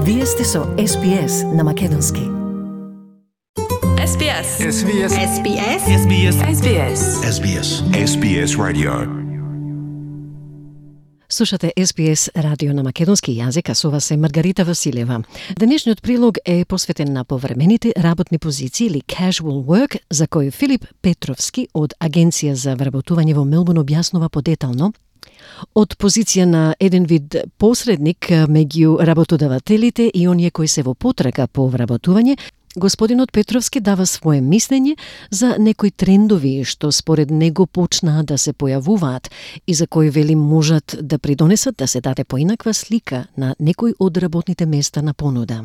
Вие сте со SPS на Македонски. SBS. SBS. SBS. SBS. SBS. SBS. SBS Radio. Слушате SBS радио на македонски јазик, а со вас е Маргарита Василева. Денешниот прилог е посветен на повремените работни позиции или casual work, за кој Филип Петровски од Агенција за вработување во Мелбурн објаснува подетално. Од позиција на еден вид посредник меѓу работодавателите и оние кои се во потрага по вработување, господинот Петровски дава свое мислење за некои трендови што според него почнаа да се појавуваат и за кои вели можат да придонесат да се даде поинаква слика на некои од работните места на понуда.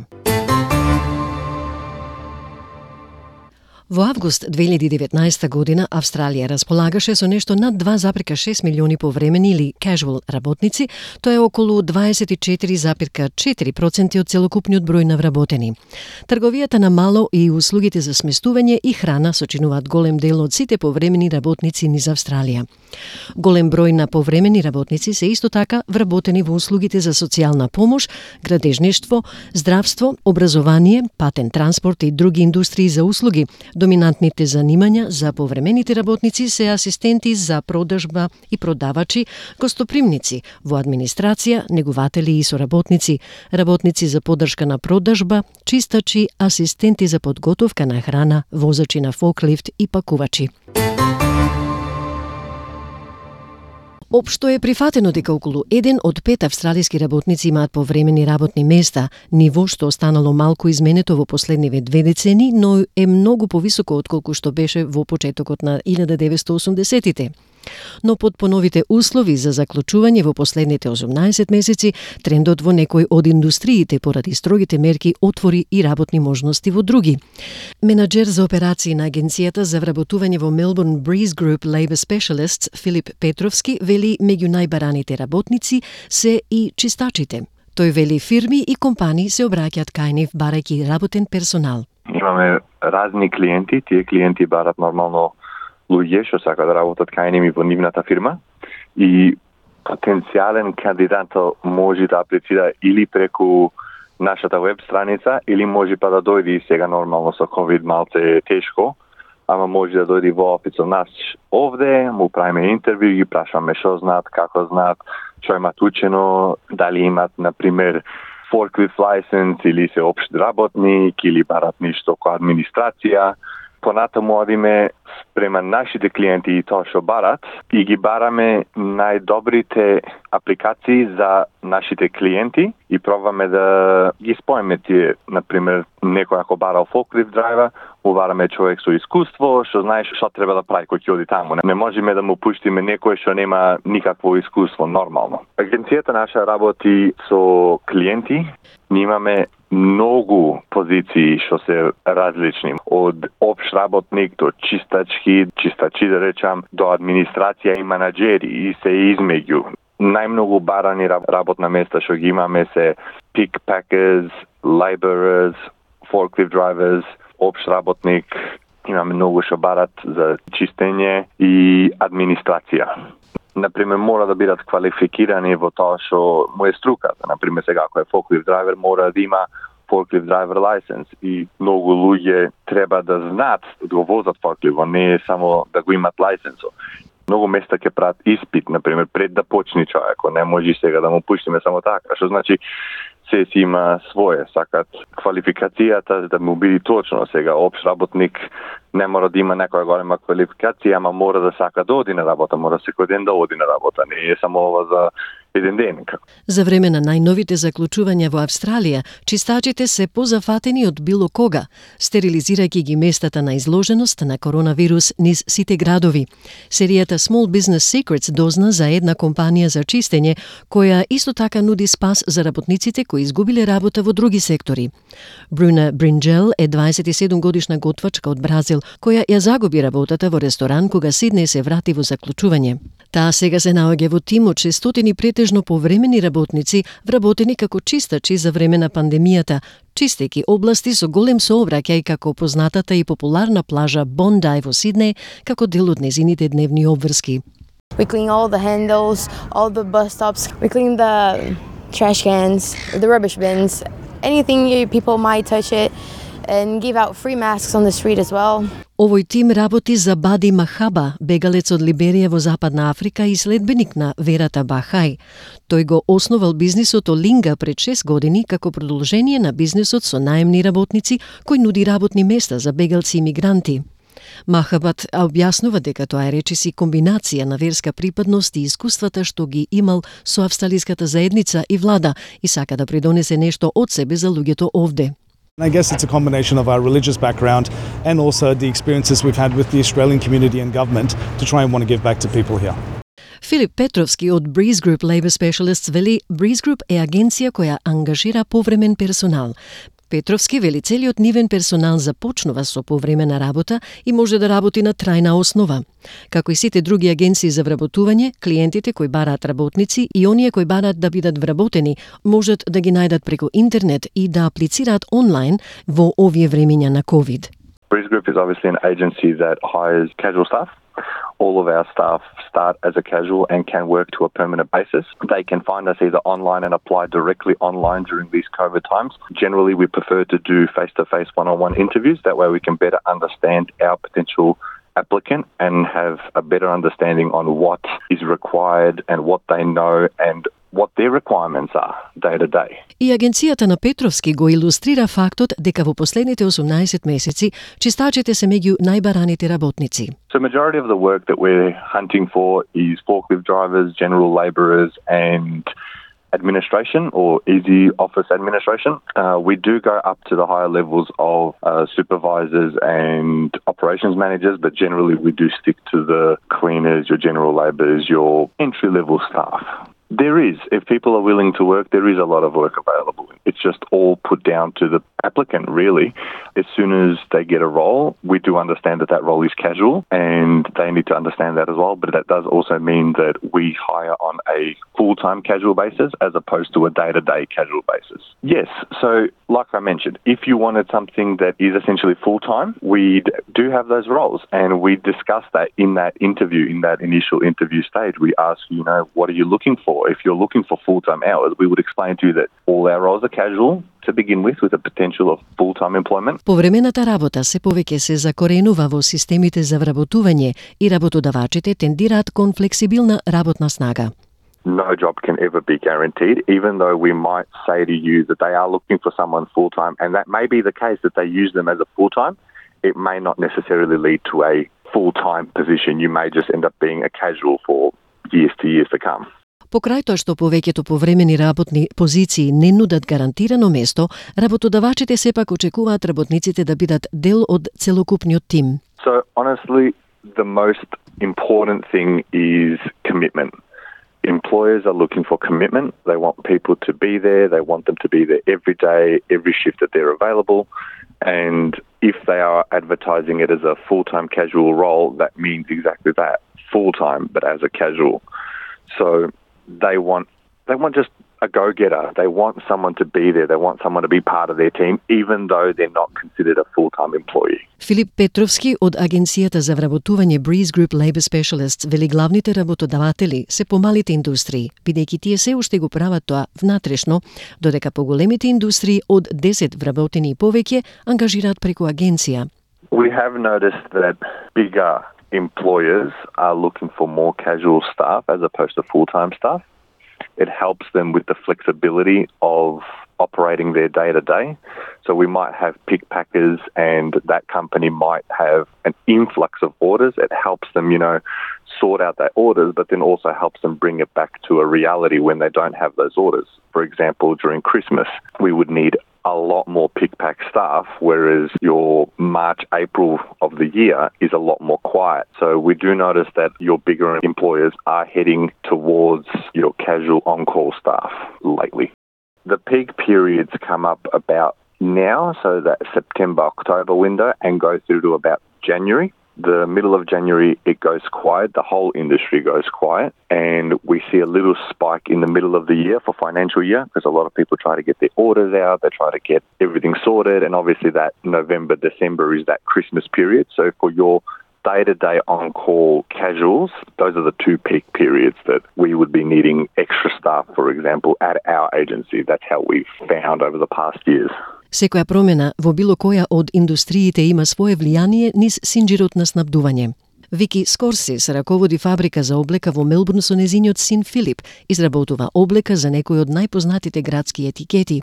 Во август 2019 година Австралија располагаше со нешто над 2,6 милиони повремени или casual работници, тоа е околу 24,4% од целокупниот број на вработени. Трговијата на мало и услугите за сместување и храна сочинуваат голем дел од сите повремени работници низ Австралија. Голем број на повремени работници се исто така вработени во услугите за социјална помош, градежништво, здравство, образование, патен транспорт и други индустрии за услуги. Доминантните занимања за повремените работници се асистенти за продажба и продавачи, гостопримници, во администрација, негователи и соработници, работници за поддршка на продажба, чистачи, асистенти за подготовка на храна, возачи на фоклифт и пакувачи. Општо е прифатено дека околу 1 од 5 австралиски работници имаат повремени работни места, ниво што останало малку изменето во последниве 2 децени, но е многу повисоко отколку што беше во почетокот на 1980-тите. Но под поновите услови за заклучување во последните 18 месеци, трендот во некои од индустриите поради строгите мерки отвори и работни можности во други. Менаџер за операции на Агенцијата за вработување во Melbourne Breeze Group Labour Specialists Филип Петровски вели меѓу најбараните работници се и чистачите. Тој вели фирми и компании се обраќаат кај нив барајќи работен персонал. Имаме разни клиенти, тие клиенти барат нормално луѓе што сака да работат кај ними во нивната фирма и потенцијален кандидат може да аплицира или преку нашата веб страница или може па да дојде и сега нормално со ковид малце е тешко, ама може да дојде во офисот нас овде, му правиме интервју, ги прашаме што знаат, како знаат, што имат учено, дали имат например forklift license или се општ работник или барат ништо која администрација. Понатаму одиме спрема нашите клиенти и тоа што барат и ги бараме најдобрите апликации за нашите клиенти и пробваме да ги споиме тие, например, некој ако барал forklift драйвер, му бараме човек со искуство, што знае што треба да прави кој ќе оди таму. Не можеме да му пуштиме некој што нема никакво искуство нормално. Агенцијата наша работи со клиенти, ние имаме многу позиции што се различни, од општ работник до чистачки да речам, до администрација и менаџери и се измеѓу. Најмногу барани работна места што ги имаме се pick packers, laborers, forklift drivers, општ работник, имаме многу што барат за чистење и администрација. Например, мора да бидат квалификирани во тоа што му е струката. Например, сега ако е forklift driver, мора да има forklift driver license и многу луѓе треба да знаат да го возат forklift, не е само да го имат лајсенсо. Многу места ќе прават испит, например, пред да почне човекот, не може сега да му пуштиме само така, што значи се си има свое, сакат квалификацијата да му биде точно сега општ работник не мора да има некоја голема квалификација, ама мора да сака да оди на работа, мора секој ден да оди на работа, не е само ова за еден ден. За време на најновите заклучувања во Австралија, чистачите се позафатени од било кога, стерилизирајќи ги местата на изложеност на коронавирус низ сите градови. Серијата Small Business Secrets дозна за една компанија за чистење, која исто така нуди спас за работниците кои изгубиле работа во други сектори. Бруна Бринджел е 27 годишна готвачка од Бразил, која ја загуби работата во ресторан кога Сиднеј се врати во заклучување. Таа сега се наоѓа во тим од 600 претежно повремени работници, вработени како чистачи за време на пандемијата, чистејќи области со голем сообраќај како познатата и популарна плажа Bondi во Сиднеј, како дел од незините дневни обврски. We clean all the handles, all the bus stops. We clean the trash cans, the rubbish bins. anything people might touch it, and give out free masks on the street as well. Овој тим работи за Бади Махаба, бегалец од Либерија во Западна Африка и следбеник на верата Бахај. Тој го основал бизнисот Олинга пред 6 години како продолжение на бизнисот со наемни работници кој нуди работни места за бегалци и мигранти. Махабат објаснува дека тоа е речиси комбинација на верска припадност и искуствата што ги имал со австралиската заедница и влада и сака да придонесе нешто од себе за луѓето овде. I guess it's a combination of our religious background and also the experiences we've had with the Australian community and government to try and want to give back to people here. Филип Петровски од Breeze Group Labor Specialists вели Breeze Group е агенција која ангажира повремен персонал. Петровски вели целиот нивен персонал започнува со повремена работа и може да работи на трајна основа. Како и сите други агенции за вработување, клиентите кои бараат работници и оние кои бараат да бидат вработени можат да ги најдат преку интернет и да аплицираат онлайн во овие времиња на COVID. Breeze Group is obviously an agency that hires casual staff. All of our staff start as a casual and can work to a permanent basis. They can find us either online and apply directly online during these COVID times. Generally, we prefer to do face-to-face one-on-one interviews. That way we can better understand our potential applicant and have a better understanding on what is required and what they know and what their requirements are day to day. И агенцијата на Петровски го илустрира фактот дека во последните 18 месеци чистачите се меѓу најбараните работници. So majority of the work that we're hunting for is forklift drivers, general labourers and administration or easy office administration. We do go up to the higher levels of supervisors and operations managers, but generally we do stick to the cleaners, your general labourers, your entry-level staff. There is. If people are willing to work, there is a lot of work available. It's just all put down to the applicant, really. As soon as they get a role, we do understand that that role is casual and they need to understand that as well. But that does also mean that we hire on a full-time casual basis as opposed to a day-to-day casual basis. Yes. So, like I mentioned, if you wanted something that is essentially full-time, we do have those roles and we discuss that in that interview, in that initial interview stage. We ask, what are you looking for? If you're looking for full-time hours, we would explain to you that all our roles are casual to begin with a potential of full-time employment. Повремената работа се повеќе се закоренува во системите за вработување и работодавачите тендираат кон флексибилна работна снага. No job can ever be guaranteed, even though we might say to you that they are looking for someone full-time, and that may be the case that they use them as a full-time. It may not necessarily lead to a full-time position. You may just end up being a casual for years to come. Покрај тоа што повеќето повремени работни позиции не нудат гарантирано место, работодавачите сепак очекуваат работниците да бидат дел од целокупниот тим. So honestly, the most important thing is commitment. Employers are looking for commitment. They want people to be there. They want them to be there every day, every shift that they're available. And if they are advertising it as a full-time casual role, that means exactly that, full-time, but as a casual. So they want just a go-getter. They want someone to be there. They want someone to be part of their team, even though they're not considered a full-time employee. Филип Петровски од агенцијата за вработување Breeze Group Labor Specialists вели главните работодаватели се помалите индустрии, бидејќи тие се уште го прават тоа внатрешно, додека поголемите индустрии од 10 вработени и повеќе ангажираат преку агенција. We have noticed that bigger employers are looking for more casual staff as opposed to full-time staff. It helps them with the flexibility of operating their day-to-day. So we might have pick packers and that company might have an influx of orders. It helps them, sort out their orders, but then also helps them bring it back to a reality when they don't have those orders. For example, during Christmas, we would need a lot more pick-pack staff, whereas your March, April of the year is a lot more quiet. So we do notice that your bigger employers are heading towards your casual on-call staff lately. The peak periods come up about now, so that September-October window, and go through to about January. The middle of January, it goes quiet. The whole industry goes quiet. And we see a little spike in the middle of the year for financial year because a lot of people try to get their orders out. They try to get everything sorted. And obviously that November, December is that Christmas period. So for your day-to-day on-call casuals, those are the two peak periods that we would be needing extra staff, for example, at our agency. That's how we've found over the past years. Секоја промена во било која од индустриите има свое влијание низ синџирот на снабдување. Вики Скорсис раководи фабрика за облека во Мелбурн со незиниот син Филип, изработува облека за некои од најпознатите градски етикети.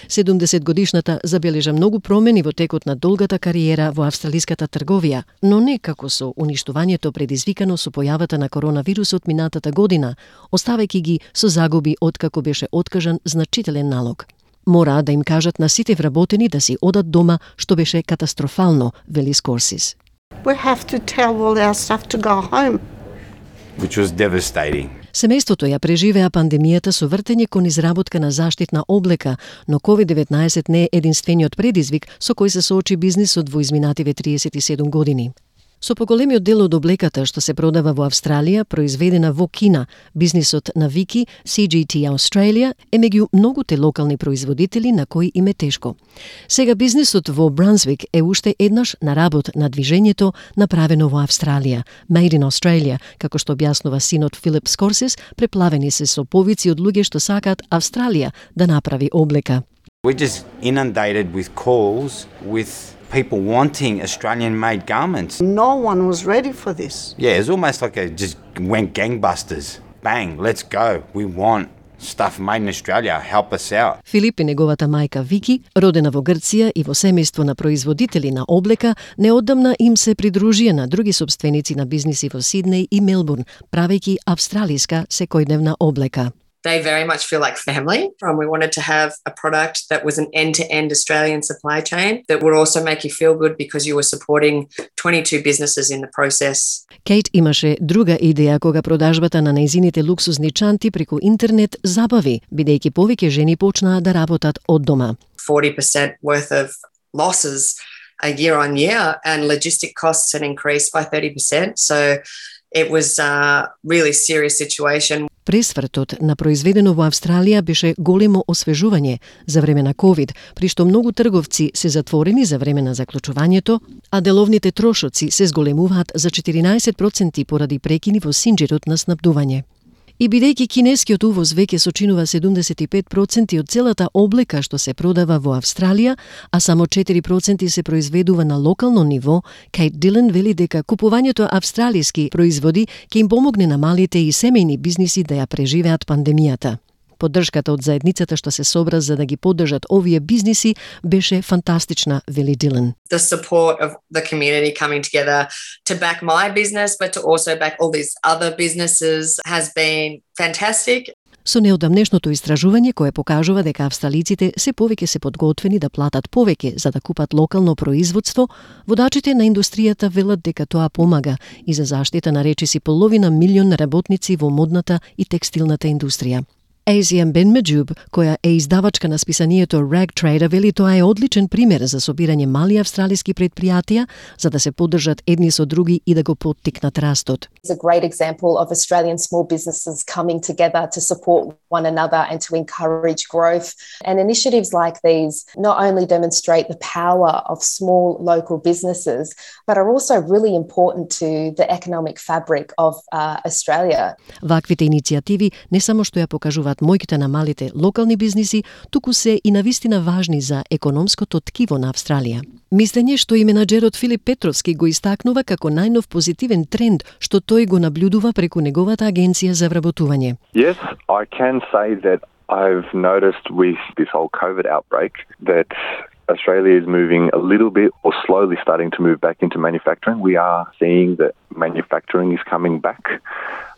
70-годишната забележа многу промени во текот на долгата кариера во австралиската трговија, но не како со уништувањето предизвикано со појавата на коронавирусот минатата година, оставајќи ги со загуби откако беше откажан значителен налог. Мора да им кажат на сите вработени да си одат дома, што беше катастрофално, вели Скорсис. We have to tell all our staff to go home. Which was devastating. Семејството ја преживеа пандемијата со вртење кон изработка на заштитна облека, но COVID-19 не е единствениот предизвик со кој се соочи бизнисот во изминативе 37 години. Со поголемиот дел од облеката што се продава во Австралија, произведена во Кина, бизнисот на Вики, CGT Australia, е меѓу многуте локални производители на кои им е тешко. Сега бизнисот во Брансвик е уште еднаш на работ на движењето направено во Австралија, Made in Australia, како што објаснува синот Филип Скорсис, преплавени се со повици од луѓе што сакаат Австралија да направи облека. We're just inundated with calls with people wanting Australian-made garments. No one was ready for this. Yeah, it's almost like it just went gangbusters. Bang, let's go. We want stuff made in Australia. Help us out. Филип и неговата мајка Вики, родена во Грција и во семејство на производители на облека, неодамна им се придружија на други собственици на бизниси во Сиднеј и Мелбурн, правејќи австралиска секојдневна облека. They very much feel like family. We wanted to have a product that was an end-to-end Australian supply chain that would also make you feel good because you were supporting 22 businesses in the process. Кейт имаше друга идеја кога продажбата на нејзините луксузни чанти преку интернет забави, бидејќи повеќе жени почнаа да работат од дома. 40% worth of losses a year on year, and logistic costs had increased by 30%. So it was a really serious situation. Пресвртот на произведено во Австралија беше големо освежување за време на COVID, при што многу трговци се затворени за време на заклучувањето, а деловните трошоци се зголемуваат за 14% поради прекини во синџирот на снабдување. И бидејќи кинескиот увоз веќе сочинува 75% од целата облека што се продава во Австралија, а само 4% се произведува на локално ниво, Кейт Дилен вели дека купувањето австралиски производи ќе им помогне на малите и семејни бизниси да ја преживеат пандемијата. Поддршката од заедницата што се собра за да ги поддржат овие бизниси беше фантастична, вели Дилен. The support of the community coming together to back my business, but to also back all these other businesses has been fantastic. Со неодамнешното истражување кое покажува дека австралиците се повеќе се подготвени да платат повеќе за да купат локално производство, водачите на индустријата велат дека тоа помага и за заштита на речиси половина милион работници во модната и текстилната индустрија. ASM Benmejub, која е издавачка на списанието Rag Trader, вели тоа е одличен пример за собирање мали австралиски предпријатија за да се поддржат едни со други и да го поттикнат растот. It's a great example of Australian small businesses coming together to support one another and to encourage growth. And initiatives like these not only demonstrate the power of small local businesses, but are also really important to the economic fabric of Australia. Ваквите иницијативи не само што ја покажуваат мојките на малите локални бизниси, туку се и навистина важни за економското ткиво на Австралија. Мислење што и менаџерот Филип Петровски го истакнува како најнов позитивен тренд што тој го наблюдува преку неговата агенција за вработување. Yes, I can say that I've noticed with this whole COVID outbreak that Australia is moving a little bit or slowly starting to move back into manufacturing. We are seeing that manufacturing is coming back.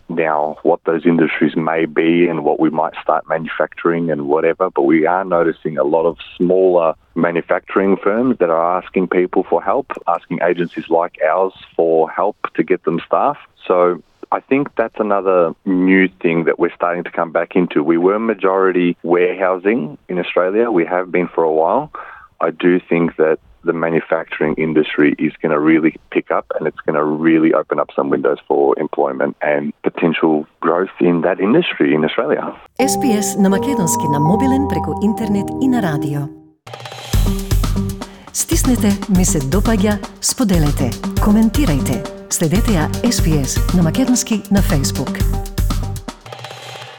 Now, what those industries may be and what we might start manufacturing and whatever, but we are noticing a lot of smaller manufacturing firms that are asking people for help, asking agencies like ours for help to get them staff. So I think that's another new thing that we're starting to come back into. We were majority warehousing in Australia. We have been for a while. I do think that the manufacturing industry is going to really pick up and it's going to really open up some windows for employment and potential growth in that industry in Australia. SPS на македонски на мобилен преку интернет и на радио. Стиснете ми се допаѓа, споделете, коментирајте. Следете ја SPS на македонски на Facebook.